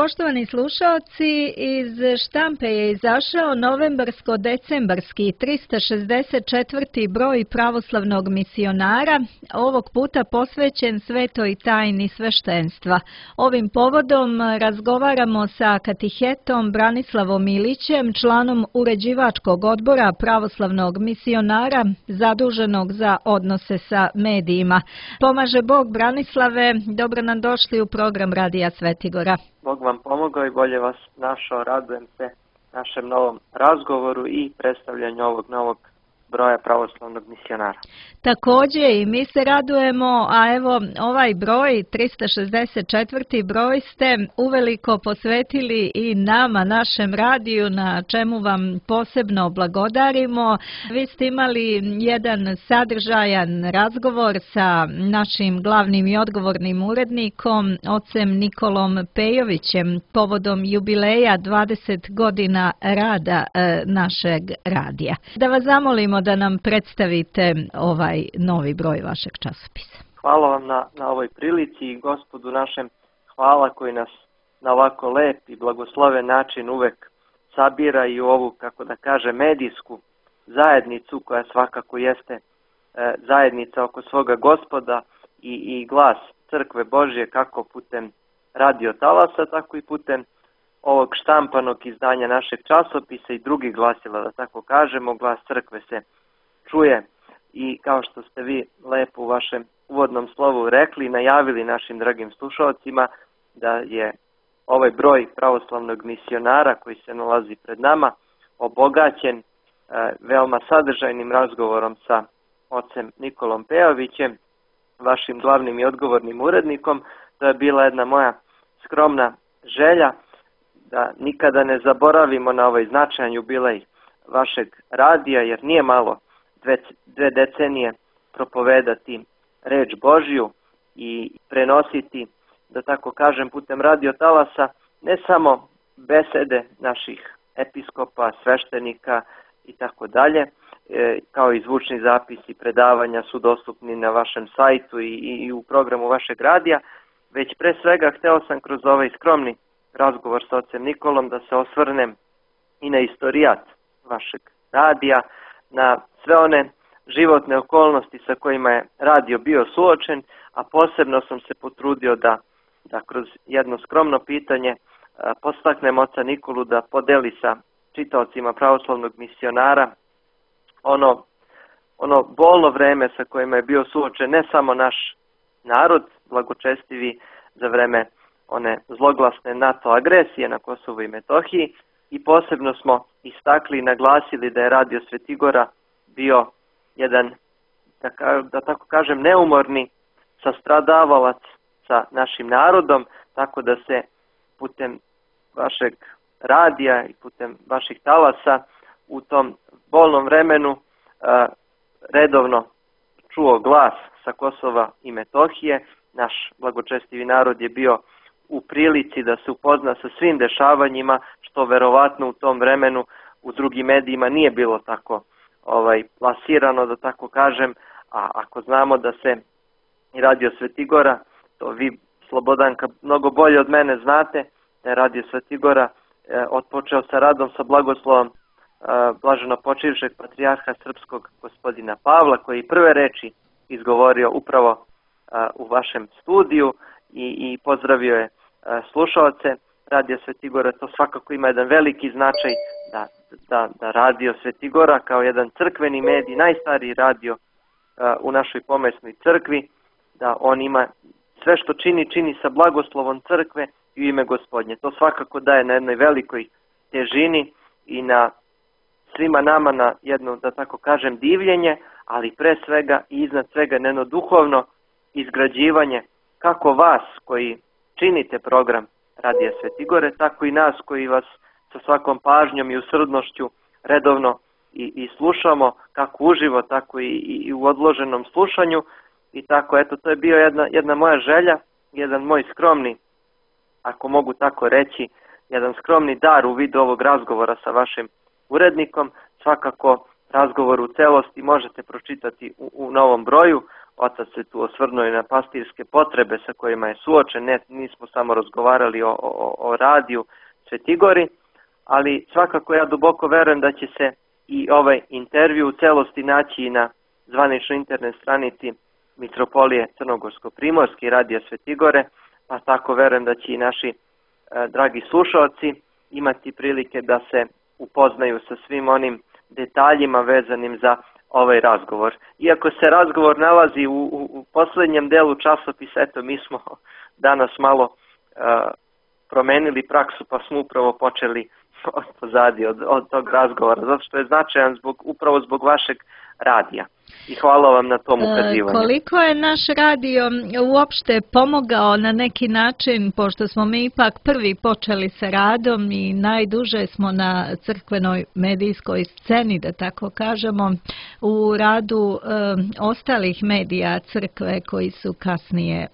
Poštovani slušaoci, iz štampe je izašao novembarsko-decembarski 364. broj pravoslavnog misionara, ovog puta posvećen svetoj tajni sveštenstva. Ovim povodom razgovaramo sa katehetom Branislavom Ilićem, članom uređivačkog odbora pravoslavnog misionara, zaduženog za odnose sa medijima. Pomaže Bog, Branislave, dobro nam došli u program Radija Svetigora. Bog vam pomogao i bolje vas našao, radujem se našem novom razgovoru i predstavljanju ovog novog broja pravoslavnog misionara. Također i mi se radujemo, a evo ovaj broj, 364. broj ste uveliko posvetili i nama, našem radiju, na čemu vam posebno blagodarimo. Vi ste imali jedan sadržajan razgovor sa našim glavnim i odgovornim urednikom, ocem Nikolom Pejovićem, povodom jubileja 20 godina rada našeg radija. Da vas zamolimo da nam predstavite ovaj novi broj vašeg časopisa. Hvala vam na ovoj prilici i Gospodu našem hvala koji nas na ovako lep i blagosloven način uvek sabira i u ovu, kako da kaže, medijsku zajednicu koja svakako jeste zajednica oko svoga Gospoda i glas Crkve Božje kako putem radio talasa, tako i putem ovog štampanog izdanja našeg časopisa i drugih glasila, da tako kažemo, glas Crkve se čuje i kao što ste vi lepo u vašem uvodnom slovu rekli i najavili našim dragim slušalcima da je ovaj broj pravoslavnog misionara koji se nalazi pred nama obogaćen veoma sadržajnim razgovorom sa ocem Nikolom Pejovićem, vašim glavnim i odgovornim urednikom. To je bila jedna moja skromna želja da nikada ne zaboravimo na ovaj značajan jubilej vašeg radija, jer nije malo dve decenije propovedati reč Božju i prenositi, da tako kažem, putem radio talasa ne samo besede naših episkopa, sveštenika i tako dalje, kao i zvučni zapisi predavanja su dostupni na vašem sajtu i u programu vašeg radija, već pre svega hteo sam kroz ovaj skromni razgovor sa ocem Nikolom da se osvrnem i na istorijat vašeg radija, na sve one životne okolnosti sa kojima je radio bio suočen, a posebno sam se potrudio da kroz jedno skromno pitanje podstaknem oca Nikolu da podeli sa čitaocima pravoslavnog misionara ono bolno vreme sa kojima je bio suočen ne samo naš narod, blagočestivi za vreme one zloglasne NATO agresije na Kosovu i Metohiji, i posebno smo istakli i naglasili da je Radio Svetigora bio jedan, da tako kažem, neumorni sastradavalac sa našim narodom, tako da se putem vašeg radija i putem vaših talasa u tom bolnom vremenu redovno čuo glas sa Kosova i Metohije. Naš blagočestivi narod je bio u prilici da se upozna sa svim dešavanjima, što verovatno u tom vremenu u drugim medijima nije bilo tako plasirano, da tako kažem, a ako znamo da se i Radio Svetigora, to vi, Slobodanka, mnogo bolje od mene znate, da je Radio Svetigora otpočeo sa radom sa blagoslovom blaženo počivšeg patrijarha srpskog gospodina Pavla, koji prve reči izgovorio upravo u vašem studiju i pozdravio je slušaoce Radio Svetigora. To svakako ima jedan veliki značaj da Radio Svetigora kao jedan crkveni medij, najstariji radio u našoj pomesnoj crkvi, da on ima sve što čini sa blagoslovom crkve i u ime Gospodnje. To svakako daje na jednoj velikoj težini i na svima nama na jedno, da tako kažem, divljenje, ali pre svega i iznad svega na jedno duhovno izgrađivanje kako vas koji činite program Radija Svetigore, tako i nas koji vas sa svakom pažnjom i usrdnošću redovno i slušamo, kako uživo, tako i u odloženom slušanju. I tako, eto, to je bio jedna moja želja, jedan moj skromni, ako mogu tako reći, jedan skromni dar u vidu ovog razgovora sa vašim urednikom. Svakako razgovor u celosti možete pročitati u novom broju. Otac se tu osvrnuo i na pastirske potrebe sa kojima je suočen. Nismo samo razgovarali o radiju Svetigori, ali svakako ja duboko verujem da će se i ovaj intervju u celosti naći i na zvaničnoj internet stranici Mitropolije Crnogorsko-Primorske i radija Svetigore, pa tako verujem da će i naši dragi slušalci imati prilike da se upoznaju sa svim onim detaljima vezanim za ovaj razgovor. Iako se razgovor nalazi u poslednjem delu časopisa, eto mi smo danas malo promenili praksu pa smo upravo počeli od pozadi od tog razgovora, zato što je značajan upravo zbog vašeg radija. I hvala vam na tom ukazivanju. Koliko je naš radio uopšte pomogao na neki način, pošto smo mi ipak prvi počeli sa radom i najduže smo na crkvenoj medijskoj sceni, da tako kažemo, u radu ostalih medija crkve koji su kasnije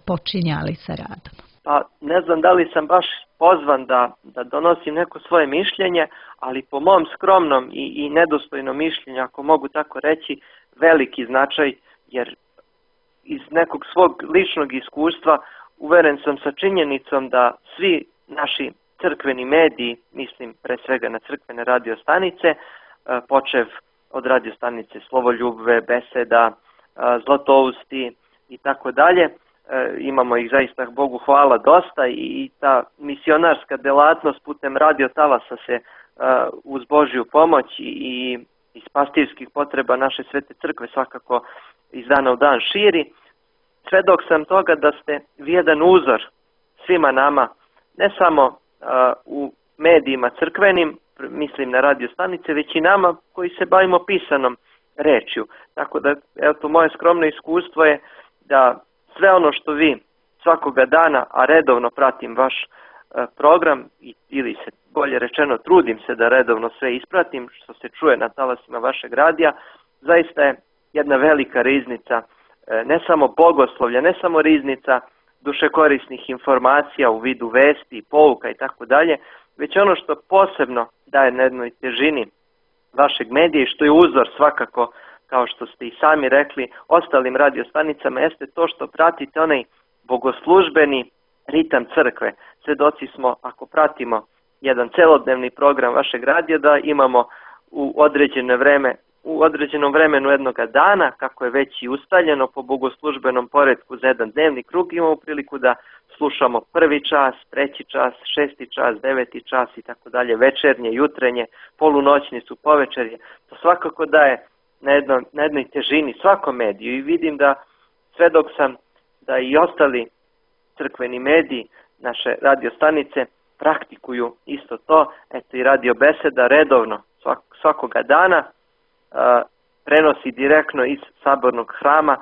počinjali sa radom? Pa ne znam da li sam baš pozvan da donosim neko svoje mišljenje, ali po mom skromnom i nedostojnom mišljenju, ako mogu tako reći, veliki značaj, jer iz nekog svog ličnog iskustva uveren sam sa činjenicom da svi naši crkveni mediji, mislim pre svega na crkvene radiostanice, počev od radiostanice Slovoljubve, Beseda, Zlatousti i tako dalje, imamo ih zaista, Bogu hvala, dosta i ta misionarska delatnost putem radiotalasa se uz Božju pomoć i iz pastirskih potreba naše svete crkve svakako iz dana u dan širi. Svedok sam toga da ste vi jedan uzor svima nama, ne samo u medijima crkvenim, mislim na radiostanice, već i nama koji se bavimo pisanom rečju. Tako da, eto, moje skromno iskustvo je da sve ono što vi svakoga dana, a redovno pratim vaš program, ili se bolje rečeno trudim se da redovno sve ispratim što se čuje na talasima vašeg radija, zaista je jedna velika riznica, ne samo bogoslovlja, ne samo riznica dušekorisnih informacija u vidu vesti, pouka i tako dalje, već ono što posebno daje na jednoj težini vašeg medija i što je uzor svakako, kao što ste i sami rekli, ostalim radiostanicama, jeste to što pratite onaj bogoslužbeni ritam crkve. Svedoci smo, ako pratimo jedan celodnevni program vašeg radija, da imamo u određenom vremenu jednoga dana, kako je već i ustaljeno po bogoslužbenom poretku za jedan dnevni krug, imamo priliku da slušamo 1. čas, 3. čas, 6. čas, 9. čas i tako dalje, večernje, jutrenje, polunoćnicu, povečerje. To svakako daje na jednoj težini svakom mediju i vidim da svedok sam da i ostali crkveni mediji, naše radiostanice, praktikuju isto to. Eto i Radio Beseda redovno svakoga dana prenosi direktno iz sabornog hrama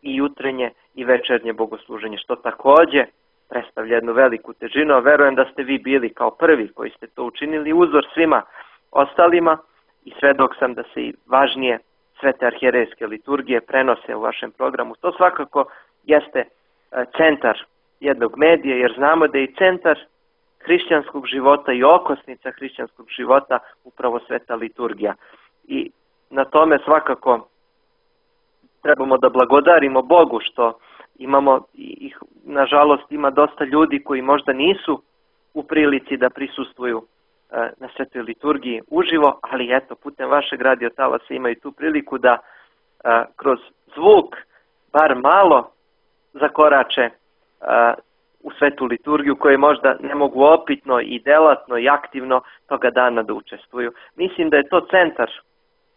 i jutrenje i večernje bogosluženje, što takođe predstavlja jednu veliku težinu. Verujem da ste vi bili kao prvi koji ste to učinili, uzor svima ostalima i svedok sam da se i važnije svete arhijerejske liturgije prenose u vašem programu. To svakako jeste centar jednog medija, jer znamo da je i centar hrišćanskog života i okosnica hrišćanskog života upravo sveta liturgija. I na tome svakako trebamo da blagodarimo Bogu što imamo, nažalost ima dosta ljudi koji možda nisu u prilici da prisustvuju na svetoj liturgiji uživo, ali eto, putem vašeg radiotalasa imaju tu priliku da kroz zvuk bar malo zakorače u svetu liturgiju koje možda ne mogu opitno i delatno i aktivno toga dana da učestvuju. Mislim da je to centar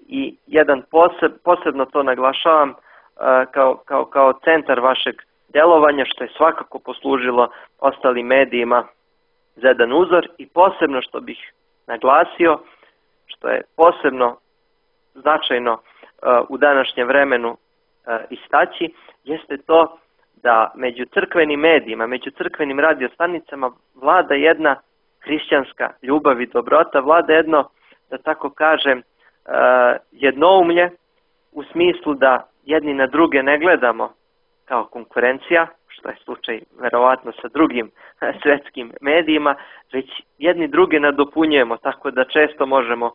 i jedan posebno to naglašavam kao centar vašeg delovanja, što je svakako poslužilo ostalim medijima za jedan uzor i posebno što bih naglasio, što je posebno značajno u današnjem vremenu istaći, jeste to da među crkvenim medijima, među crkvenim radiostanicama vlada jedna hrišćanska ljubav i dobrota, vlada jedno, da tako kažem, jednoumlje u smislu da jedni na druge ne gledamo kao konkurencija, što je slučaj verovatno sa drugim svetskim medijima, već jedni druge nadopunjujemo, tako da često možemo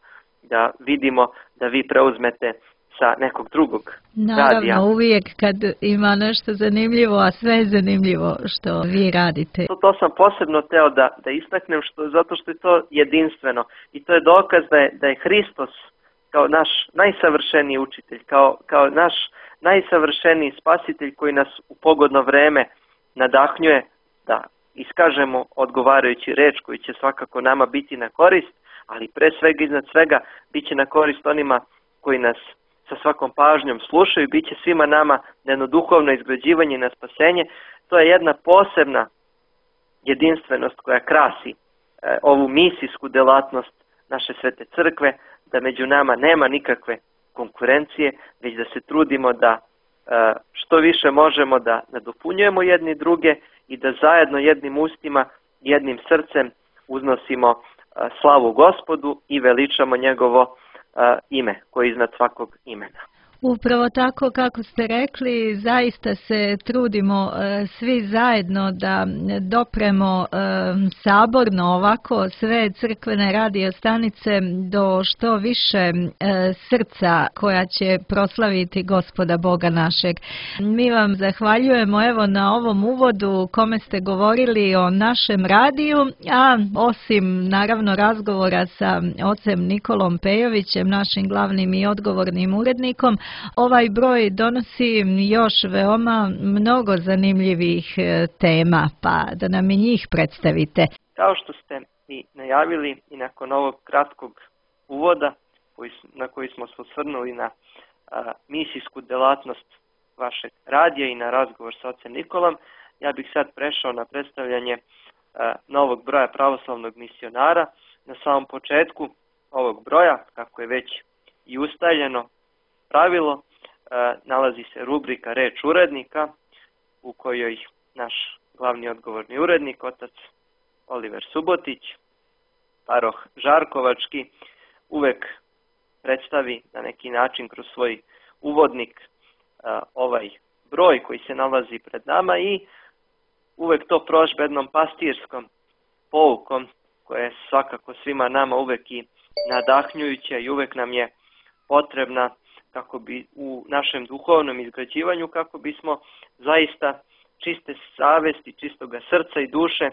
da vidimo da vi preuzmete sa nekog drugog radija. Naravno, uvijek kad ima nešto zanimljivo, a sve je zanimljivo što vi radite. To sam posebno teo da istaknem, zato što je to jedinstveno i to je dokaz da je Hristos kao naš najsavršeniji učitelj, kao naš najsavršeniji spasitelj koji nas u pogodno vreme nadahnjuje da iskažemo odgovarajući reč koji će svakako nama biti na korist, ali pre svega iznad svega bit će na korist onima koji nas sa svakom pažnjom slušaju, bit će svima nama na jedno duhovno izgrađivanje i na spasenje. To je jedna posebna jedinstvenost koja krasi ovu misijsku delatnost naše svete crkve, da među nama nema nikakve konkurencije, već da se trudimo da što više možemo da nadopunjujemo jedni druge i da zajedno jednim ustima, jednim srcem uznosimo slavu Gospodu i veličamo njegovo ime koje je iznad svakog imena. Upravo tako kako ste rekli, zaista se trudimo svi zajedno da dopremo saborno ovako sve crkvene radio stanice do što više srca koja će proslaviti Gospoda Boga našeg. Mi vam zahvaljujemo evo na ovom uvodu kome ste govorili o našem radiju, a osim naravno razgovora sa ocem Nikolom Pejovićem, našim glavnim i odgovornim urednikom, ovaj broj donosi još veoma mnogo zanimljivih tema, pa da nam i njih predstavite. Kao što ste i najavili i nakon ovog kratkog uvoda na koji smo se osvrnuli na misijsku delatnost vašeg radija i na razgovor sa ocem Nikolom, ja bih sad prešao na predstavljanje novog broja pravoslavnog misionara. Na samom početku ovog broja, kako je već i ustaljeno pravilo, nalazi se rubrika Reč urednika u kojoj naš glavni odgovorni urednik, otac Oliver Subotić, paroh Žarkovački, uvek predstavi na neki način kroz svoj uvodnik ovaj broj koji se nalazi pred nama i uvek to prožbe jednom pastirskom poukom koja je svakako svima nama uvek i nadahnjujuća i uvek nam je potrebna kako bi u našem duhovnom izgrađivanju, kako bismo zaista čiste savesti, čistoga srca i duše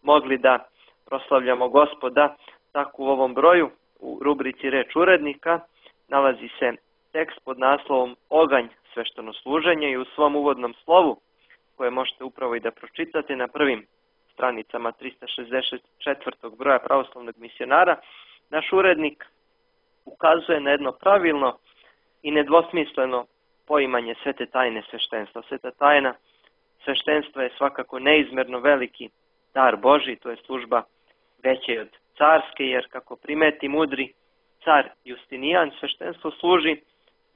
mogli da proslavljamo Gospoda. Tako u ovom broju, u rubrici Reč urednika, nalazi se tekst pod naslovom Oganj sveštenosluženja i u svom uvodnom slovu, koje možete upravo i da pročitate na prvim stranicama 364. broja pravoslavnog misionara, naš urednik ukazuje na jedno pravilno i nedvosmisleno poimanje svete tajne sveštenstva. Sveta tajna sveštenstva je svakako neizmerno veliki dar Božji, to je služba veća od carske, jer kako primeti mudri car Justinijan, sveštenstvo služi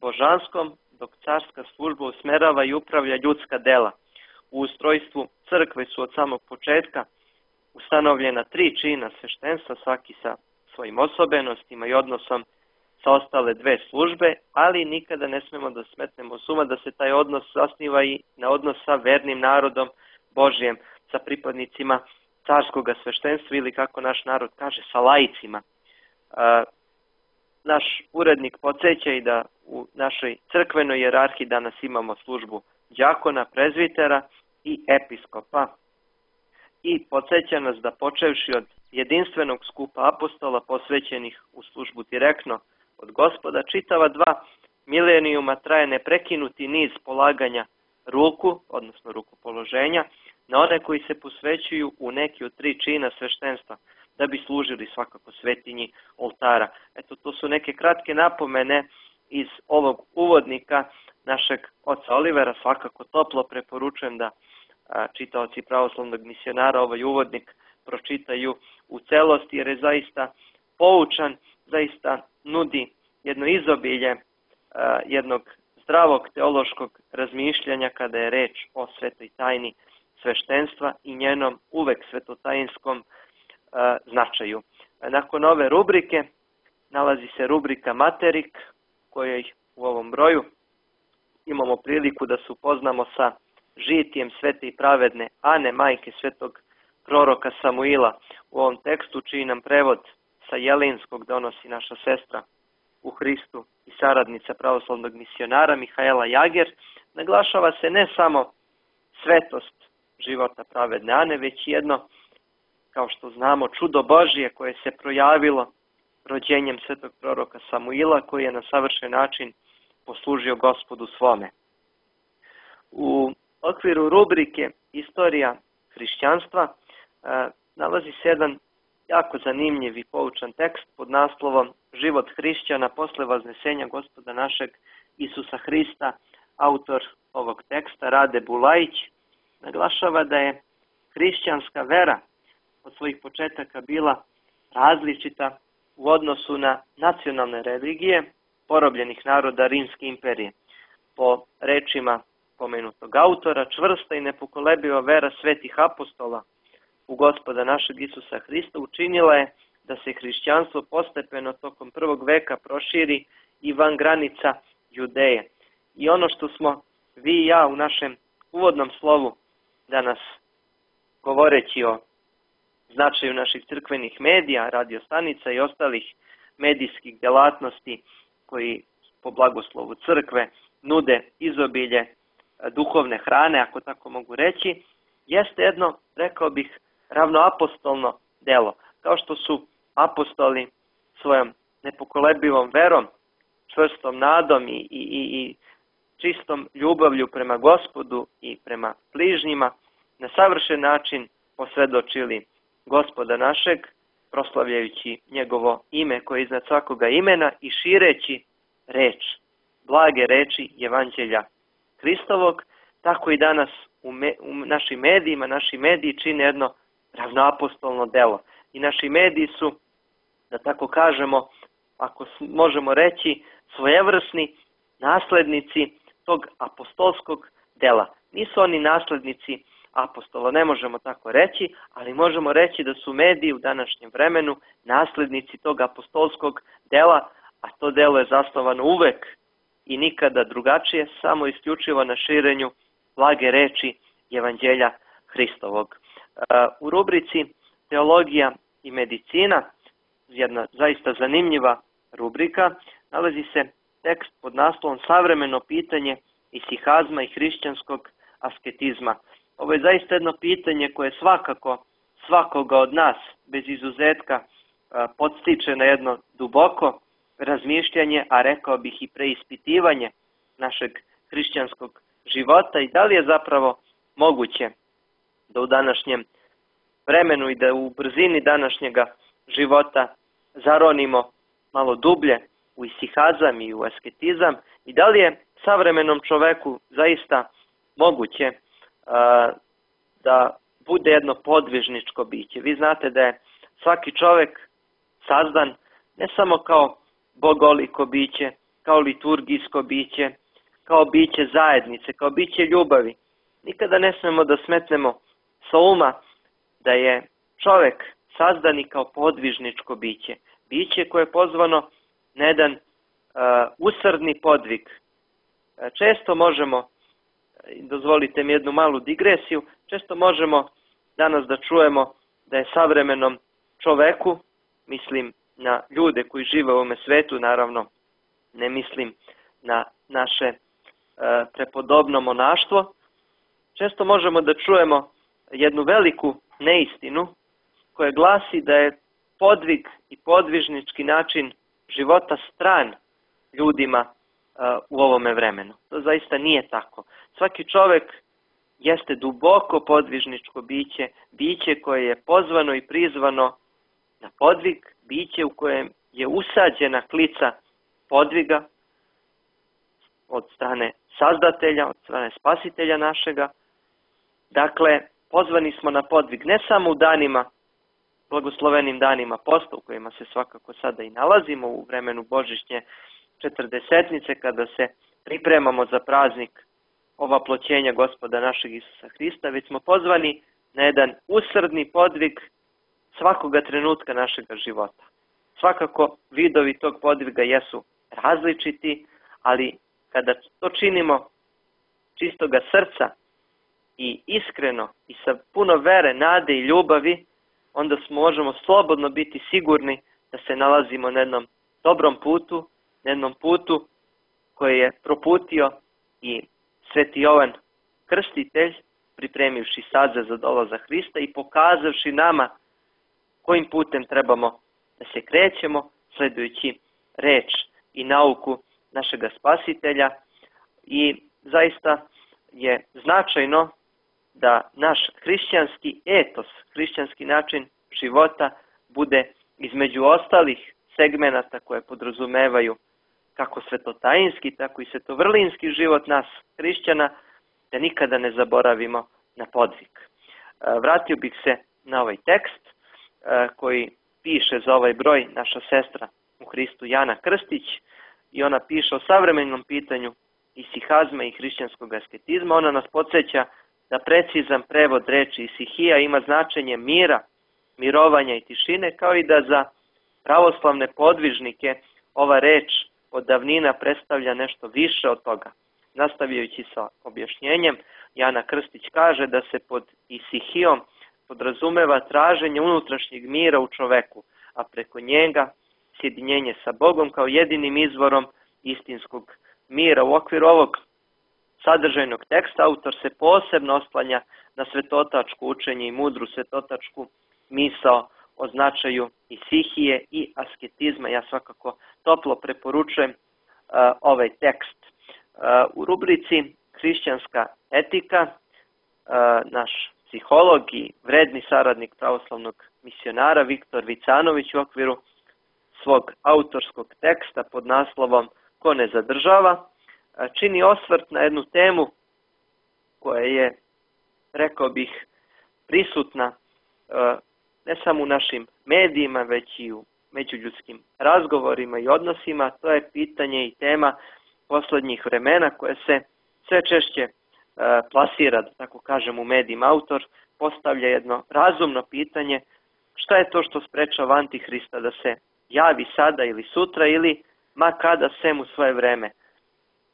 božanskom, dok carska služba usmerava i upravlja ljudska dela. U ustrojstvu crkve su od samog početka ustanovljena 3 čina sveštenstva, svaki sa svojim osobenostima i odnosom sa ostale 2 službe, ali nikada ne smemo da smetnemo s uma da se taj odnos zasniva i na odnos sa vernim narodom Božijem, sa pripadnicima carskog sveštenstva ili kako naš narod kaže, sa laicima. Naš urednik podsjeća i da u našoj crkvenoj hijerarhiji danas imamo službu đakona, prezvitera i episkopa. I podsjeća nas da počevši od jedinstvenog skupa apostola posvećenih u službu direktno od Gospoda, čitava 2 milenijuma traje neprekinuti niz polaganja ruku, odnosno rukopoloženja, na one koji se posvećuju u neki od 3 čina sveštenstva, da bi služili svakako svetinji oltara. Eto, to su neke kratke napomene iz ovog uvodnika našeg oca Olivera. Svakako toplo preporučujem da čitaoci pravoslavnog misionara ovaj uvodnik pročitaju u celosti, jer je zaista poučan, zaista nudi jedno izobilje jednog zdravog teološkog razmišljanja kada je reč o svetoj tajni sveštenstva i njenom uvek svetotajinskom značaju. Nakon ove rubrike nalazi se rubrika Materik, kojoj u ovom broju imamo priliku da se upoznamo sa žitijem svete i pravedne Ane, majke svetog proroka Samuila. U ovom tekstu čiji nam prevod sa jelinskog donosi naša sestra u Hristu i saradnica pravoslavnog misionara Mihaela Jager, naglašava se ne samo svetost života pravedne Ane, već jedno, kao što znamo, čudo Božije koje se projavilo rođenjem svetog proroka Samuila, koji je na savršen način poslužio Gospodu svome. U okviru rubrike Istorija hrišćanstva nalazi se jedan jako zanimljiv i poučan tekst pod naslovom Život hrišćana posle vaznesenja Gospoda našeg Isusa Hrista. Autor ovog teksta, Rade Bulajić, naglašava da je hrišćanska vera od svojih početaka bila različita u odnosu na nacionalne religije porobljenih naroda Rimske imperije. Po rečima pomenutog autora, čvrsta i nepokolebiva vera svetih apostola u Gospoda našeg Isusa Hrista učinila je da se hrišćanstvo postepeno tokom prvog veka proširi i van granica Judeje. I ono što smo vi i ja u našem uvodnom slovu danas, govoreći o značaju naših crkvenih medija, radiostanica i ostalih medijskih delatnosti koji po blagoslovu crkve nude izobilje duhovne hrane, ako tako mogu reći, jeste jedno, rekao bih, ravnoapostolno delo. Kao što su apostoli svojom nepokolebivom verom, čvrstom nadom i čistom ljubavlju prema Gospodu i prema bližnjima na savršen način posvjedočili Gospoda našeg, proslavljajući njegovo ime koje je iznad svakoga imena i šireći reč, blage reči Evanđelja Hristovog, tako i danas u našim medijima, naši mediji čine jedno ravnoapostolno delo. I naši mediji su, da tako kažemo, ako možemo reći, svojevrsni naslednici tog apostolskog dela. Nisu oni naslednici apostola, ne možemo tako reći, ali možemo reći da su mediji u današnjem vremenu naslednici tog apostolskog dela, a to delo je zasnovano uvek i nikada drugačije, samo isključivo na širenju blage reči Evanđelja Hristovog. U rubrici Teologija i medicina, jedna zaista zanimljiva rubrika, nalazi se tekst pod naslovom Savremeno pitanje isihazma i hrišćanskog asketizma. Ovo je zaista jedno pitanje koje svakako svakoga od nas, bez izuzetka, podstiče na jedno duboko razmišljanje, a rekao bih i preispitivanje našeg hrišćanskog života i da li je zapravo moguće da u današnjem vremenu i da u brzini današnjega života zaronimo malo dublje u isihazam i u asketizam i da li je savremenom čoveku zaista moguće da bude jedno podvižničko biće. Vi znate da je svaki čovek sazdan ne samo kao bogoliko biće, kao liturgijsko biće, kao biće zajednice, kao biće ljubavi. Nikada ne smemo da smetnemo sa uma da je čovek sazdan i kao podvižničko biće. Biće koje je pozvano na jedan usrdni podvig. Često možemo, dozvolite mi jednu malu digresiju, često možemo danas da čujemo da je savremenom čoveku, mislim na ljude koji žive u ovome svetu, naravno ne mislim na naše prepodobno monaštvo, često možemo da čujemo jednu veliku neistinu koja glasi da je podvig i podvižnički način života stran ljudima u ovome vremenu. To zaista nije tako. Svaki čovek jeste duboko podvižničko biće, biće koje je pozvano i prizvano na podvig, biće u kojem je usađena klica podviga od strane Sazdatelja, od strane Spasitelja našega. Dakle, pozvani smo na podvig ne samo u danima, blagoslovenim danima posta u kojima se svakako sada i nalazimo u vremenu Božićnje četrdesetnice kada se pripremamo za praznik ovaploćenja Gospoda našeg Isusa Hrista, već smo pozvani na jedan usrdni podvig svakoga trenutka našega života. Svakako vidovi tog podviga jesu različiti, ali kada to činimo čistoga srca i iskreno i sa puno vere, nade i ljubavi, onda možemo slobodno biti sigurni da se nalazimo na jednom dobrom putu, na jednom putu koji je proputio i Sveti Jovan Krstitelj, pripremivši sadze za dolazak Hrista i pokazavši nama kojim putem trebamo da se krećemo, sledujući reč i nauku našega Spasitelja. I zaista je značajno da naš hrišćanski etos, hrišćanski način života bude između ostalih segmenata koje podrazumevaju kako svetotajinski, tako i svetovrlinski život nas hrišćana, da nikada ne zaboravimo na podvig. Vratio bih se na ovaj tekst koji piše za ovaj broj naša sestra u Hristu Jana Krstić, i ona piše o savremenom pitanju isihazma i hrišćanskog asketizma. Ona nas podsjeća da precizan prevod reči isihija ima značenje mira, mirovanja i tišine, kao i da za pravoslavne podvižnike ova reč od davnina predstavlja nešto više od toga. Nastavljajući sa objašnjenjem, Jana Krstić kaže da se pod isihijom podrazumeva traženje unutrašnjeg mira u čoveku, a preko njega sjedinjenje sa Bogom kao jedinim izvorom istinskog mira. U okviru ovog sadržajnog teksta autor se posebno oslanja na svetotačko učenje i mudru svetotačku misao o značaju isihije i asketizma. Ja svakako toplo preporučujem ovaj tekst. U rubrici Hrišćanska etika naš psiholog i vredni saradnik pravoslavnog misionara Viktor Vicanović u okviru svog autorskog teksta pod naslovom Ko ne zadržava čini osvrt na jednu temu koja je, rekao bih, prisutna ne samo u našim medijima, već i u međuljudskim razgovorima i odnosima. To je pitanje i tema posljednjih vremena koje se sve češće plasira, da tako kažem, u medijima. Autor postavlja jedno razumno pitanje: šta je to što sprečava Antihrista da se javi sada ili sutra ili ma kada sem u svoje vreme?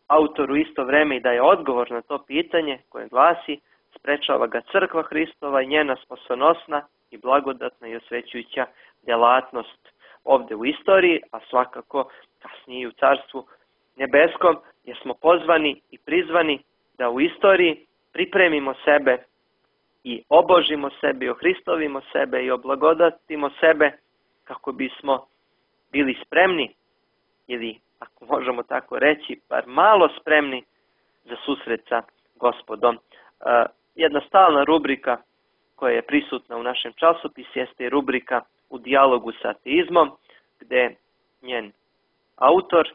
Autor u isto vreme i daje odgovor na to pitanje koje glasi: sprečava ga crkva Hristova i njena spasonosna i blagodatna i osvećujuća djelatnost ovdje u istoriji, a svakako kasnije u Carstvu nebeskom, jer smo pozvani i prizvani da u istoriji pripremimo sebe i obožimo sebe i ohristovimo sebe i oblagodatimo sebe kako bismo bili spremni, ili ako možemo tako reći, bar malo spremni za susret sa Gospodom. Jedna stalna rubrika koja je prisutna u našem časopisu jeste rubrika U dijalogu sa ateizmom, gde njen autor,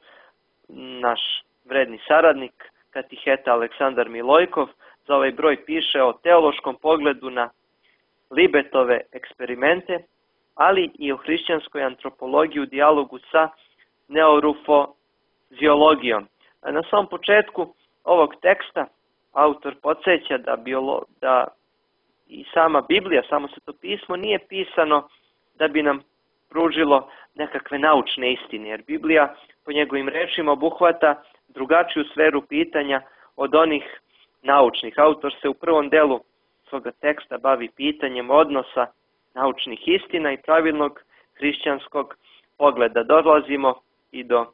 naš vredni saradnik, katiheta Aleksandar Milojkov, za ovaj broj piše o teološkom pogledu na Libetove eksperimente, ali i o hrišćanskoj antropologiji u dijalogu sa neurofoziologijom. Na samom početku ovog teksta autor podsjeća da i sama Biblija, samo Sveto pismo, nije pisano da bi nam pružilo nekakve naučne istine, jer Biblija po njegovim rečima obuhvata drugačiju sferu pitanja od onih naučnih. Autor se u prvom delu svoga teksta bavi pitanjem odnosa naučnih istina i pravilnog hrišćanskog pogleda. Dolazimo i do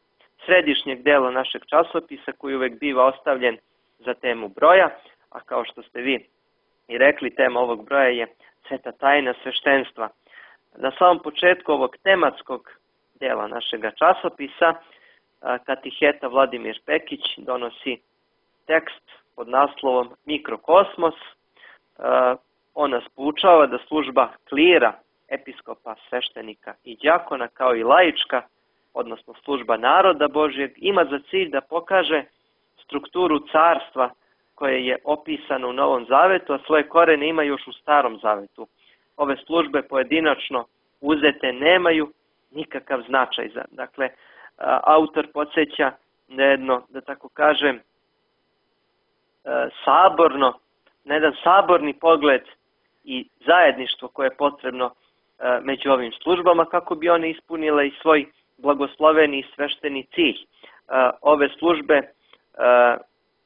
središnjeg dela našeg časopisa koji uvek biva ostavljen za temu broja, a kao što ste vi i rekli, tema ovog broja je sveta tajna sveštenstva. Na samom početku ovog tematskog dela našega časopisa katiheta Vladimir Pekić donosi tekst pod naslovom Mikrokosmos. On nas poučava da služba klira, episkopa, sveštenika i đakona, kao i laička, odnosno služba naroda Božjeg, ima za cilj da pokaže strukturu carstva koje je opisano u Novom Zavetu, a svoje korene ima još u Starom Zavetu. Ove službe pojedinačno uzete nemaju nikakav značaj. Dakle, autor podsjeća na jedno, da tako kažem, na jedan saborni pogled i zajedništvo koje je potrebno među ovim službama kako bi one ispunile i svoj blagosloveni i svešteni cilj. Ove službe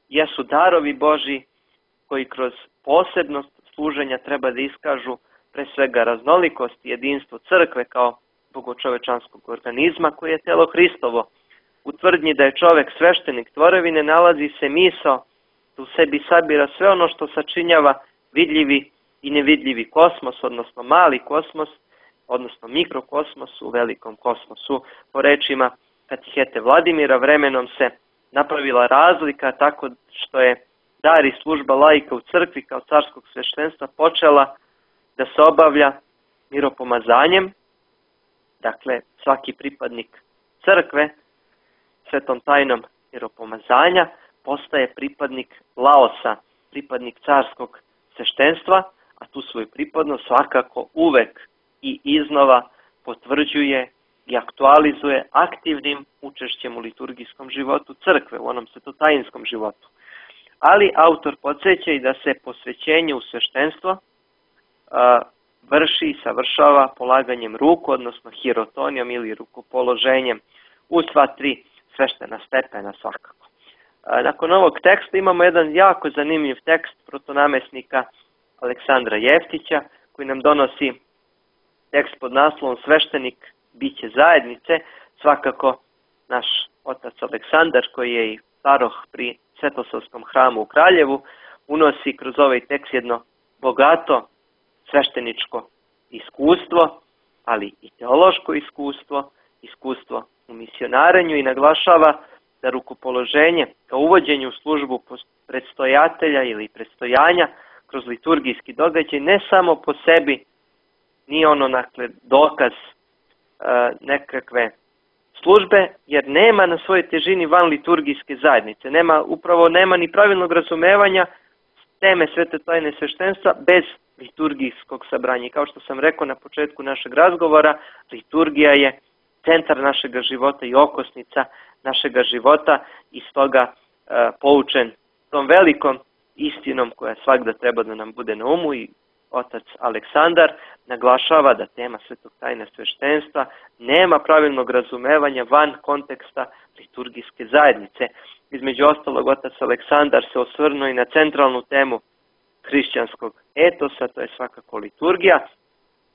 jesu darovi Božji koji kroz posebnost služenja treba da iskažu pre svega raznolikost i jedinstvo crkve kao bogočovečanskog organizma koji je telo Hristovo. u tvrdnji da je čovek sveštenik tvorevine nalazi se misao da u sebi sabira sve ono što sačinjava vidljivi i nevidljivi kosmos, odnosno mali kosmos, odnosno mikrokosmos u velikom kosmosu. Po rečima katihete Vladimira, vremenom se napravila razlika tako što je dar i služba laika u crkvi kao carskog sveštenstva počela da se obavlja miropomazanjem. Dakle, svaki pripadnik crkve svetom tajnom miropomazanja postaje pripadnik laosa, pripadnik carskog sveštenstva, a tu svoju pripadnost svakako uvek i iznova potvrđuje i aktualizuje aktivnim učešćem u liturgijskom životu crkve, u onom svetotajinskom životu. Ali autor podsjeća i da se posvećenje u sveštenstvo vrši i savršava polaganjem ruku, odnosno hirotonijom ili rukopoloženjem u sva tri sveštena stepena svakako. Nakon ovog teksta imamo jedan jako zanimljiv tekst protonamesnika Aleksandra Jeftića koji nam donosi tekst pod naslovom Sveštenik biće zajednice. Svakako naš otac Aleksandar, koji je i paroh pri Svetosavskom hramu u Kraljevu, unosi kroz ovaj tekst jedno bogato svešteničko iskustvo, ali i teološko iskustvo, iskustvo u misionarenju i naglašava da rukopoloženje kao uvođenje u službu predstojatelja ili predstojanja kroz liturgijski događaj ne samo po sebi nije ono dokaz nekakve službe, jer nema na svojoj težini van liturgijske zajednice. Upravo nema ni pravilnog razumevanja teme svete tajne sveštenstva bez liturgijskog sabranja. I kao što sam rekao na početku našeg razgovora, liturgija je centar našega života i okosnica našega života i stoga poučen tom velikom istinom koja svakda treba da nam bude na umu i otac Aleksandar naglašava da tema svetog tajne sveštenstva nema pravilnog razumevanja van konteksta liturgijske zajednice. Između ostalog, otac Aleksandar se osvrnuo i na centralnu temu hrišćanskog etosa, to je svakako liturgija.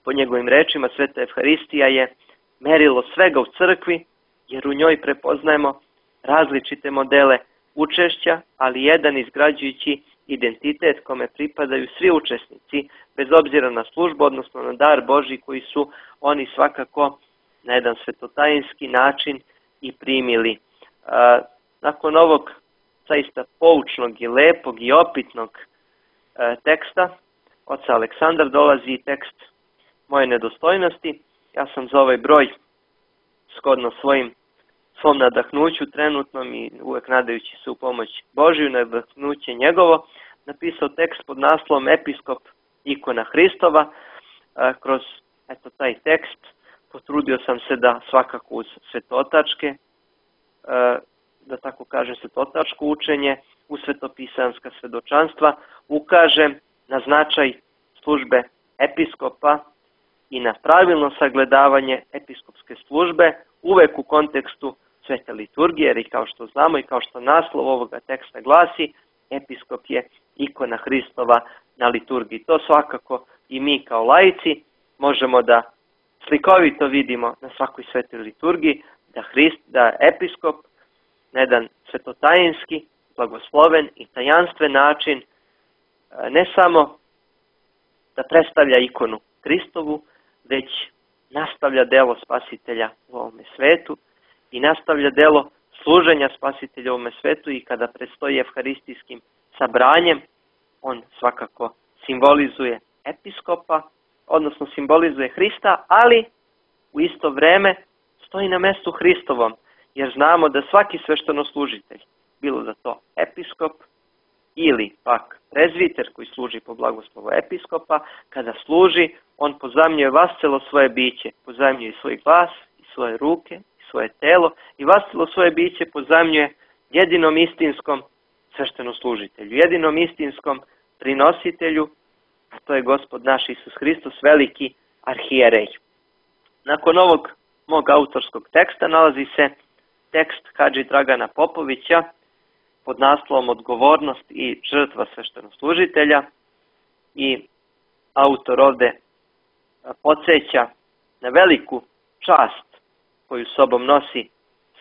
Po njegovim rečima, sveta Evharistija je merilo svega u crkvi, jer u njoj prepoznajemo različite modele učešća, ali jedan izgrađujući identitet kome pripadaju svi učesnici, bez obzira na službu, odnosno na dar Božji koji su oni svakako na jedan svetotajinski način i primili. Nakon ovog zaista poučnog i lepog i opitnog teksta, oca Aleksandar, dolazi i tekst Moje nedostojnosti. Ja sam za ovaj broj, shodno svom nadahnuću trenutnom i uvek nadajući se u pomoć Božiju, nadahnuće njegovo, napisao tekst pod naslovom Episkop ikona Hristova. Kroz taj tekst potrudio sam se da svakako uz svetotačke, da tako kažem svetotačko učenje, u svetopisanska svedočanstva, ukažem na značaj službe episkopa i na pravilno sagledavanje episkopske službe uvek u kontekstu svete liturgije, jer i kao što znamo i kao što naslov ovoga teksta glasi, episkop je ikona Hristova na liturgiji. To svakako i mi kao laici možemo da slikovito vidimo na svakoj svetoj liturgiji, da episkop na jedan svetotajinski, blagosloven i tajanstven način ne samo da predstavlja ikonu Hristovu, već nastavlja delo spasitelja u ovome svetu i nastavlja delo služenja spasitelja u ovome svetu i kada predstoji evharistijskim sabranjem, on svakako simbolizuje episkopa, odnosno simbolizuje Hrista, ali u isto vreme stoji na mestu Hristovom, jer znamo da svaki sveštenoslужitelj, bilo da to episkop ili pak prezviter koji služi po blagoslovu episkopa, kada služi, on pozajmljuje vascelo svoje biće, pozajmljuje i svoj glas, i svoje ruke, i svoje telo, i vascelo svoje biće pozajmljuje jedinom istinskom sveštenoslужitelju, jedinom istinskom prinositelju, a to je Gospod naš Isus Hristos, veliki arhijerej. Nakon ovog mog autorskog teksta nalazi se tekst Hadži Dragana Popovića pod naslovom Odgovornost i žrtva sveštenoslужitelja i autor ovde podsjeća na veliku čast koju sobom nosi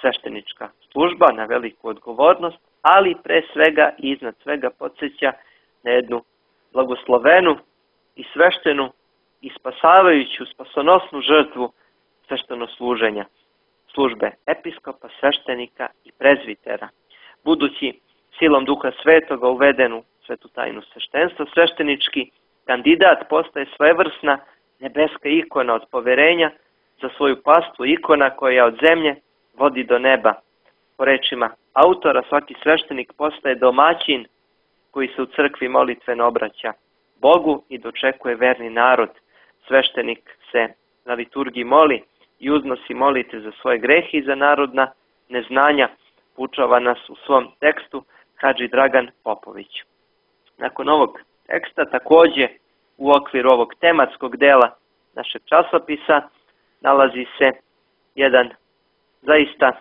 sveštenička služba, na veliku odgovornost, ali pre svega i iznad svega podsjeća na jednu blagoslovenu i sveštenu i spasavajuću, spasonosnu žrtvu svešteno službe episkopa, sveštenika i prezvitera. Budući silom Duha Svetoga uveden u svetu tajnu sveštenstva, sveštenički kandidat postaje svojevrsna nebeska ikona od poverenja za svoju pastvu, ikona koja od zemlje vodi do neba. Po rečima autora, svaki sveštenik postaje domaćin koji se u crkvi molitveno obraća Bogu i dočekuje verni narod. Sveštenik se na liturgiji moli i uznosi molite za svoje grehe i za narodna neznanja, poučava nas u svom tekstu Hadži Dragan Popović. Nakon ovog teksta, takođe u okviru ovog tematskog dela našeg časopisa, nalazi se jedan zaista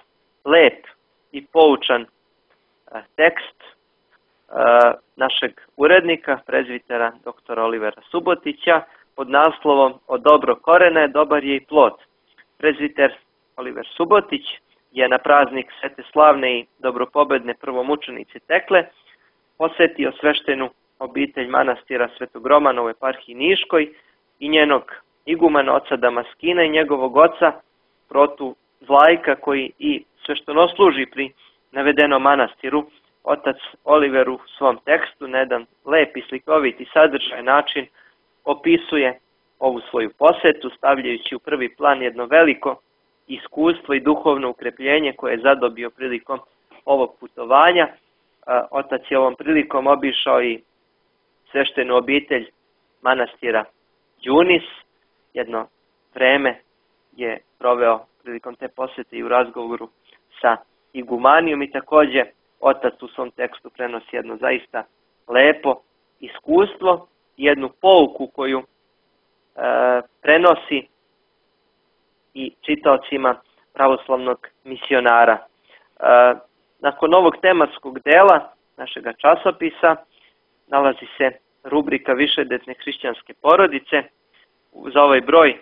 lep i poučan tekst našeg urednika, prezvitera dr. Olivera Subotića, pod naslovom "O dobro korene, dobar je i plod". Prezviter Oliver Subotić je na praznik Svete slavne i dobropobedne prvomučenice Tekle posetio sveštenu obitelj manastira Svetog Romana u eparhiji Niškoj i njenog igumana oca Damaskina i njegovog oca Protu Vlajka, koji i sveštenosluži pri navedenom manastiru. Otac Oliver u svom tekstu na jedan lep i slikovit i sadržajan način opisuje ovu svoju posetu, stavljajući u prvi plan jedno veliko iskustvo i duhovno ukrepljenje koje je zadobio prilikom ovog putovanja. Otac je ovom prilikom obišao i sveštenu obitelj manastira Đunis. Jedno vreme je proveo prilikom te posete i u razgovoru sa igumanijom i takođe otac u svom tekstu prenosi jedno zaista lepo iskustvo i jednu pouku koju prenosi i čitaocima pravoslavnog misionara. Nakon ovog tematskog dela našega časopisa nalazi se rubrika Višedetne hrišćanske porodice. Za ovaj broj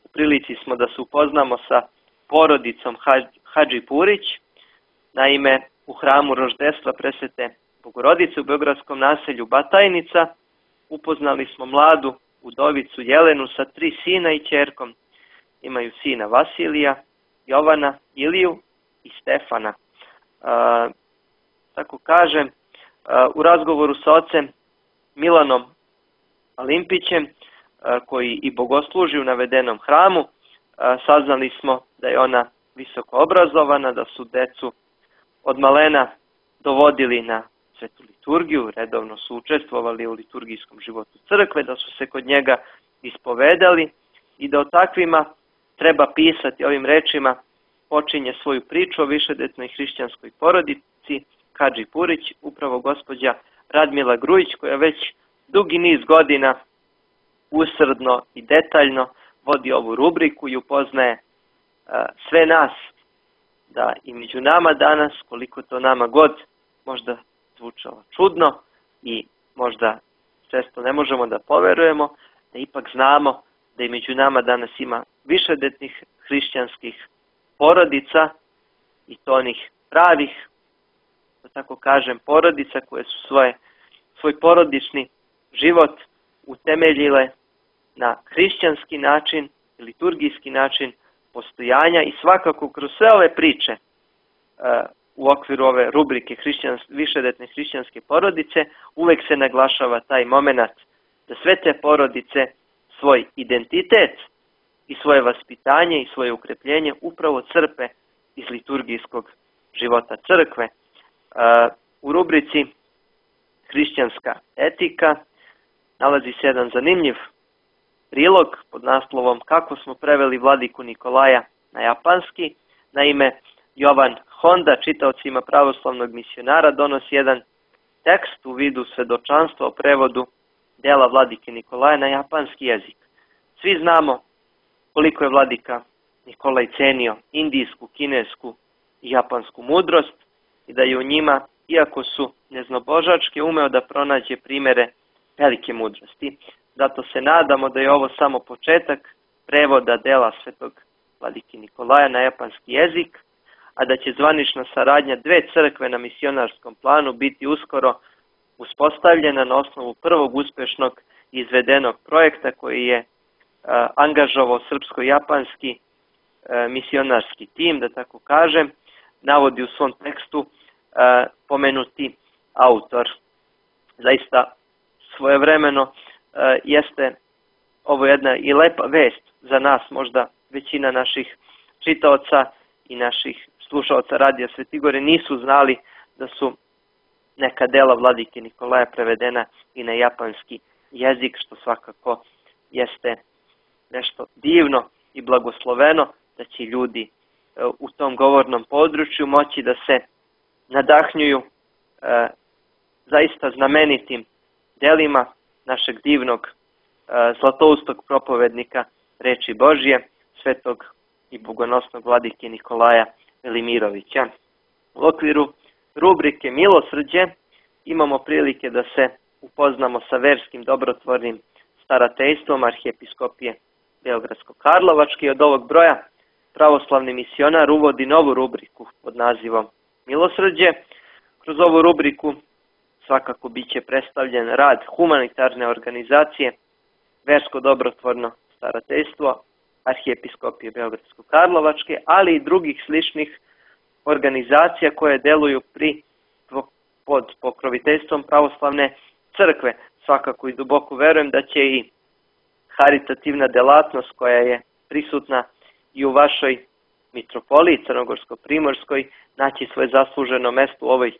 u prilici smo da se upoznamo sa porodicom Hadži Purić. Naime, u hramu roždestva Presvete Bogorodice u beogradskom naselju Batajnica upoznali smo mladu udovicu Jelenu sa 3 sina i ćerkom. Imaju sina Vasilija, Jovana, Iliju i Stefana. Tako kažem, u razgovoru sa ocem Milanom Alimpićem, koji i bogosluži u navedenom hramu, saznali smo da je ona visoko obrazovana, da su decu od malena dovodili na svetu liturgiju, redovno su učestvovali u liturgijskom životu crkve, da su se kod njega ispovedali i da o takvima treba pisati. Ovim rečima počinje svoju priču o višedetnoj hrišćanskoj porodici Hadži Purić, upravo gospođa Radmila Grujić, koja već dugi niz godina usrdno i detaljno vodi ovu rubriku i upoznaje sve nas da i među nama danas, koliko to nama god možda zvučalo čudno i možda često ne možemo da poverujemo, da ipak znamo da i među nama danas ima višedetnih hrišćanskih porodica i to onih pravih, da tako kažem, porodica koje su svoj porodični život utemeljile na hrišćanski način, liturgijski način postojanja i svakako kroz sve ove priče u okviru ove rubrike višedetne hrišćanske porodice uvek se naglašava taj moment da sve te porodice svoj identitet i svoje vaspitanje i svoje ukrepljenje upravo crpe iz liturgijskog života crkve. U rubrici Hrišćanska etika nalazi se jedan zanimljiv prilog pod naslovom "Kako smo preveli vladiku Nikolaja na japanski". Naime, Jovan Honda, čitaocima pravoslavnog misionara, donosi jedan tekst u vidu svedočanstva o prevodu dela vladike Nikolaja na japanski jezik. Svi znamo koliko je vladika Nikolaj cenio indijsku, kinesku i japansku mudrost i da je u njima, iako su neznabožačke, umeo da pronađe primere velike mudrosti. Zato se nadamo da je ovo samo početak prevoda dela svetog vladike Nikolaja na japanski jezik, a da će zvanična saradnja dve crkve na misionarskom planu biti uskoro uspostavljena na osnovu prvog uspešnog izvedenog projekta koji je angažovao srpsko-japanski misionarski tim, da tako kažem, navodi u svom tekstu pomenuti autor. Zaista svojevremeno jeste ovo jedna i lepa vest za nas, možda većina naših čitaoca i naših slušaoca Radija Svetigore nisu znali da su neka dela vladike Nikolaja prevedena i na japanski jezik, što svakako jeste nešto divno i blagosloveno, da će ljudi u tom govornom području moći da se nadahnjuju zaista znamenitim delima našeg divnog zlatoustog propovednika reči Božje, svetog i bogonosnog vladike Nikolaja Velimirovića. U okviru rubrike Milosrđe imamo prilike da se upoznamo sa verskim dobrotvornim starateljstvom Arhijepiskopije Beogradsko-Karlovačke i od ovog broja pravoslavni misionar uvodi novu rubriku pod nazivom Milosrđe. Kroz ovu rubriku svakako biće predstavljen rad humanitarne organizacije Versko dobrotvorno starateljstvo Arhijepiskopije Beogradsko-Karlovačke, ali i drugih sličnih organizacija koje deluju pod pokroviteljstvom pravoslavne crkve. Svakako i duboko verujem da će i haritativna delatnost koja je prisutna i u vašoj mitropoliji Crnogorsko-Primorskoj naći svoje zasluženo mesto u ovoj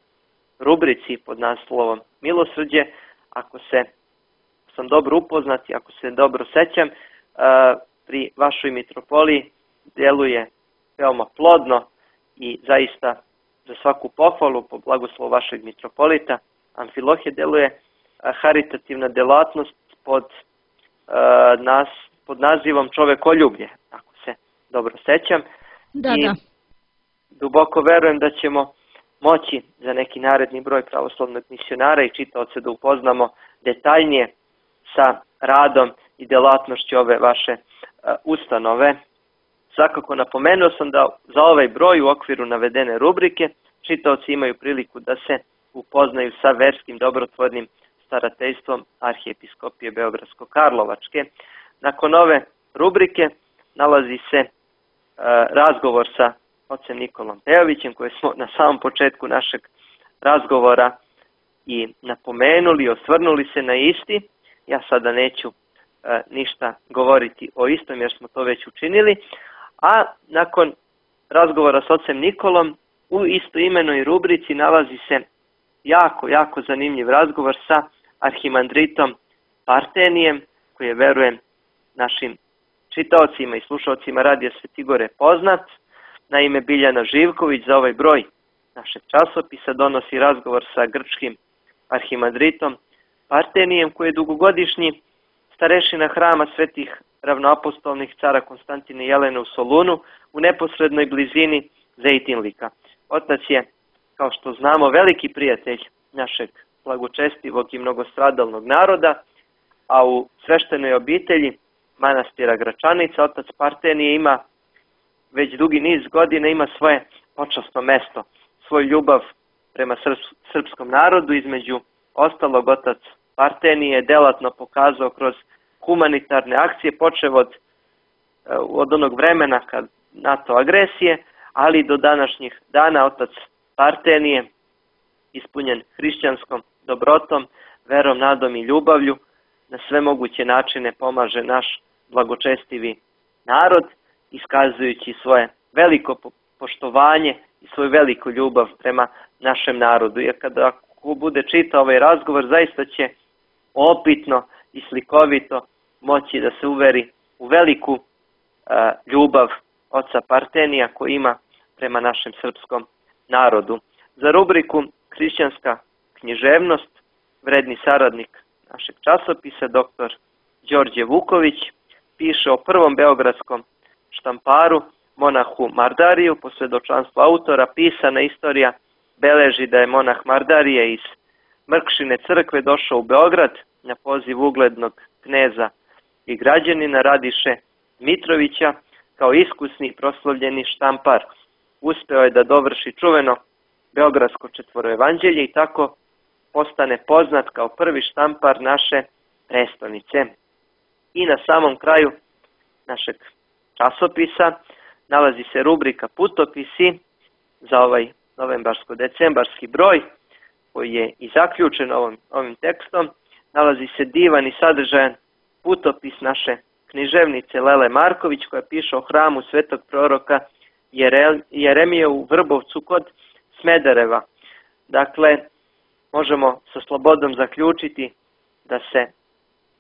rubrici pod naslovom Milosrđe. Ako sam dobro upoznat i ako se dobro sećam, pri vašoj mitropoliji deluje veoma plodno i zaista za svaku pohvalu po blagoslovu vašeg mitropolita Amfilohije deluje haritativna delatnost pod nazivom Čovekoljublje, ako se dobro sećam. I duboko verujem da ćemo moći za neki naredni broj pravoslavnog misionara i čitaoca da upoznamo detaljnije sa radom i delatnošću ove vaše ustanove. Svakako napomenuo sam da za ovaj broj u okviru navedene rubrike čitaoci imaju priliku da se upoznaju sa verskim dobrotvornim starateljstvom Arhijepiskopije Beogradsko-Karlovačke. Nakon ove rubrike nalazi se razgovor sa ocem Nikolom Pejovićem, koje smo na samom početku našeg razgovora i napomenuli, osvrnuli se na isti. Ja sada neću ništa govoriti o istom jer smo to već učinili, a nakon razgovora s ocem Nikolom u istoimenoj rubrici nalazi se jako zanimljiv razgovor sa arhimandritom Partenijem, koji je, verujem, našim čitaocima i slušaocima Radija Svetigore poznat. Naime, Biljana Živković za ovaj broj našeg časopisa donosi razgovor sa grčkim arhimandritom Partenijem, koji je dugogodišnji starešina hrama svetih ravnoapostolnih cara Konstantina i Jelene u Solunu u neposrednoj blizini Zejtinlika. Otac je, kao što znamo, veliki prijatelj našeg blagočestivog i mnogostradalnog naroda, a u sveštenoj obitelji manastira Gračanica otac Partenije ima već dugi niz godina ima svoje počasno mesto, svoju ljubav prema srpskom narodu. Između ostalog, otac Partenije je delatno pokazao kroz humanitarne akcije, počev od onog vremena kad NATO agresije, ali do današnjih dana otac Partenije, ispunjen hrišćanskom dobrotom, verom, nadom i ljubavlju, na sve moguće načine pomaže naš blagočestivi narod, iskazujući svoje veliko poštovanje i svoju veliku ljubav prema našem narodu. Jer kada bude čitao ovaj razgovor, zaista će opitno i slikovito moći da se uveri u veliku ljubav oca Partenija koji ima prema našem srpskom narodu. Za rubriku Hrišćanska književnost vredni saradnik našeg časopisa, dr. Đorđe Vuković, piše o prvom beogradskom štamparu, monahu Mardariju. Po svedočanstvu autora, pisana istorija beleži da je monah Mardarije iz Mrkšine crkve došao u Beograd na poziv uglednog kneza i građanina Radiše Mitrovića kao iskusni proslavljeni štampar. uspeo je da dovrši čuveno Beogradsko četvoroevanđelje i tako postane poznat kao prvi štampar naše prestonice. I na samom kraju našeg časopisa nalazi se rubrika Putopisi za ovaj novembarsko-decembarski broj koji je i zaključen ovim tekstom. Nalazi se divan i sadržajan putopis naše književnice Lele Marković koja piše o hramu svetog proroka Jeremije u Vrbovcu kod Smedereva. Dakle, možemo sa slobodom zaključiti da se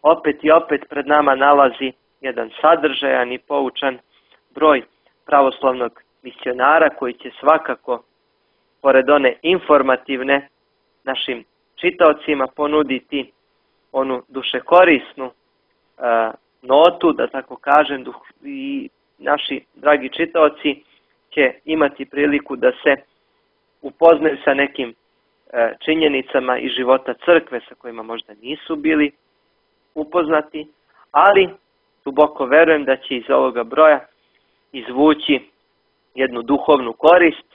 opet i opet pred nama nalazi jedan sadržajan i poučan broj pravoslavnog misionara koji će svakako, pored one informativne, našim čitaocima ponuditi onu dušekorisnu notu, da tako kažem, i naši dragi čitaoci će imati priliku da se upoznaju sa nekim činjenicama iz života crkve sa kojima možda nisu bili upoznati, ali duboko verujem da će iz ovoga broja izvući jednu duhovnu korist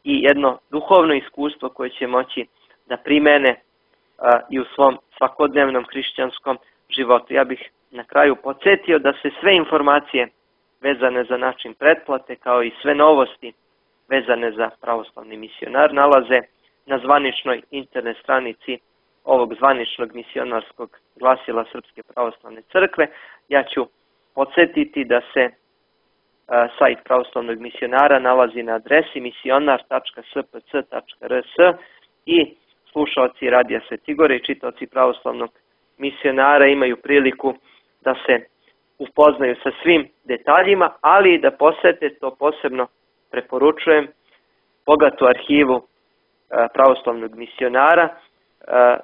i jedno duhovno iskustvo koje će moći da primene i u svom svakodnevnom hrišćanskom životu. Ja bih na kraju podsjetio da se sve informacije vezane za način pretplate kao i sve novosti vezane za pravoslavni misionar nalaze na zvaničnoj internet stranici ovog zvaničnog misionarskog glasila Srpske pravoslavne crkve. Ja ću podsjetiti da se sajt pravoslavnog misionara nalazi na adresi misionar.spc.rs i slušaoci Radija Svetigore i čitaoci pravoslavnog misionara imaju priliku da se upoznaju sa svim detaljima, ali i da posete, to posebno preporučujem, bogatu arhivu pravoslavnog misionara,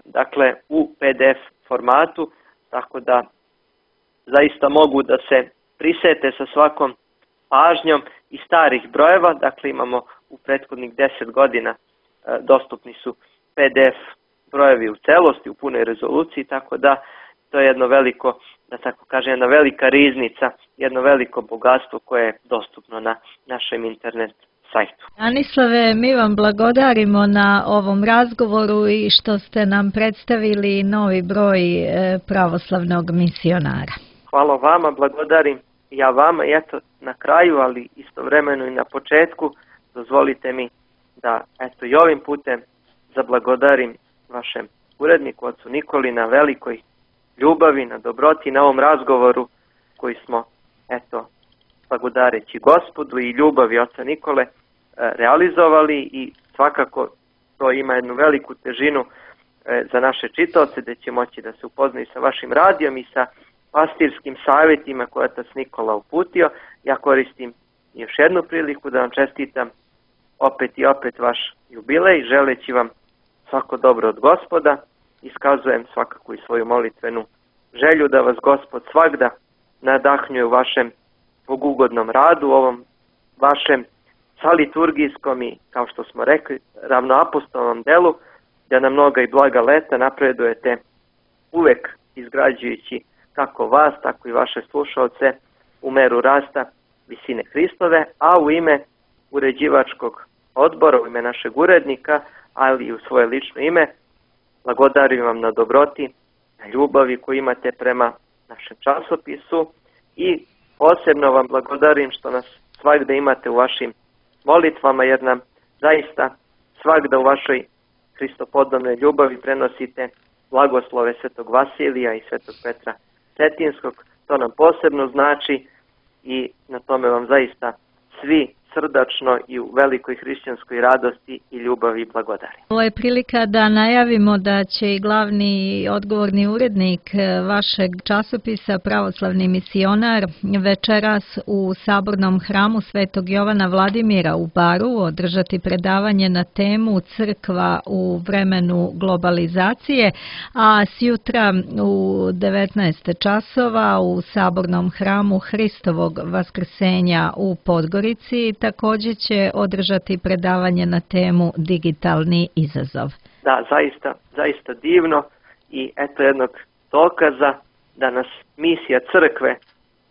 dakle u PDF formatu, tako da zaista mogu da se prisete sa svakom pažnjom i starih brojeva. Dakle, imamo u prethodnih 10 godina dostupni su PDF brojevi u celosti, u punoj rezoluciji, tako da to je jedno veliko, da tako kažem, jedna velika riznica, jedno veliko bogatstvo koje je dostupno na našem internet sajtu. Anislave, mi vam blagodarimo na ovom razgovoru i što ste nam predstavili novi broj pravoslavnog misionara. Hvala vama, blagodarim ja vama i eto na kraju, ali istovremeno i na početku, dozvolite mi da eto i ovim putem zablagodarim vašem uredniku, ocu Nikoli, na velikoj ljubavi, na dobroti, na ovom razgovoru koji smo, eto, blagodareći Gospodu i ljubavi oca Nikole realizovali i svakako to ima jednu veliku težinu za naše čitaoce, da će moći da se upoznaju sa vašim radijom i sa pastirskim savjetima koje je otac Nikola uputio. Ja koristim još jednu priliku da vam čestitam opet i opet vaš jubilej, želeći vam svako dobro od Gospoda. Iskazujem svakako i svoju molitvenu želju da vas Gospod svagda nadahnjuje u vašem bogugodnom radu, u ovom vašem saliturgijskom i, kao što smo rekli, ravnoapostolnom delu, da na mnoga i blaga leta napredujete uvek izgrađujući kako vas, tako i vaše slušaoce u meru rasta visine Hristove, a u ime uređivačkog odbora, u ime našeg urednika, ali i u svoje lično ime, blagodarim vam na dobroti, na ljubavi koju imate prema našem časopisu i posebno vam blagodarim što nas svagda imate u vašim molitvama, jer nam zaista svagda u vašoj hristopodobnoj ljubavi prenosite blagoslove svetog Vasilija i svetog Petra Cetinskog. To nam posebno znači i na tome vam zaista svi srdačno i u velikoj hrišćanskoj radosti i ljubavi blagodarim. Ovo je prilika da najavimo da će i glavni odgovorni urednik vašeg časopisa Pravoslavni misionar večeras u Sabornom hramu Svetog Jovana Vladimira u Baru održati predavanje na temu Crkva u vremenu globalizacije, a sjutra u 19 časova u Sabornom hramu Hristovog vaskrsenja u Podgorici također će održati predavanje na temu Digitalni izazov. Da, zaista divno i eto jednog dokaza da nas misija crkve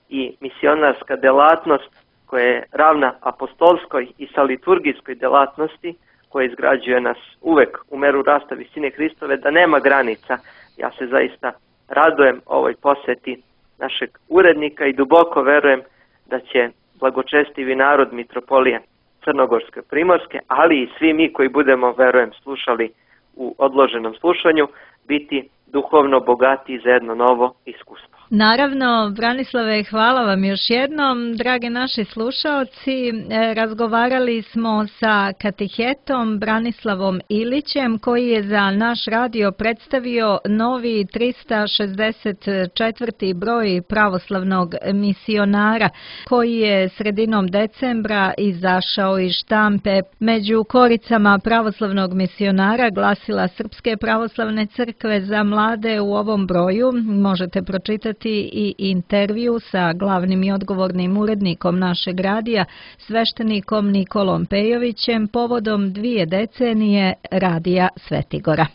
i misionarska delatnost koja je ravna apostolskoj i sa liturgijskoj delatnosti, koja izgrađuje nas uvek u meru rasta visine Hristove, da nema granica. Ja se zaista radujem ovoj poseti našeg urednika i duboko verujem da će blagočestivi narod mitropolije Crnogorske Primorske, ali i svi mi koji budemo, verujem, slušali u odloženom slušanju, biti duhovno bogati za jedno novo iskustvo. Naravno, Branislave, hvala vam još jednom. Drage naši slušaoci, razgovarali smo sa katehetom Branislavom Ilićem, koji je za naš radio predstavio novi 364. broj pravoslavnog misionara, koji je sredinom decembra izašao iz štampe. Među koricama pravoslavnog misionara glasila Srpske pravoslavne crkve za mlade u ovom broju možete pročitati i intervju sa glavnim i odgovornim urednikom našeg radija, sveštenikom Nikolom Pejovićem, povodom 2 decenije radija Svetigora.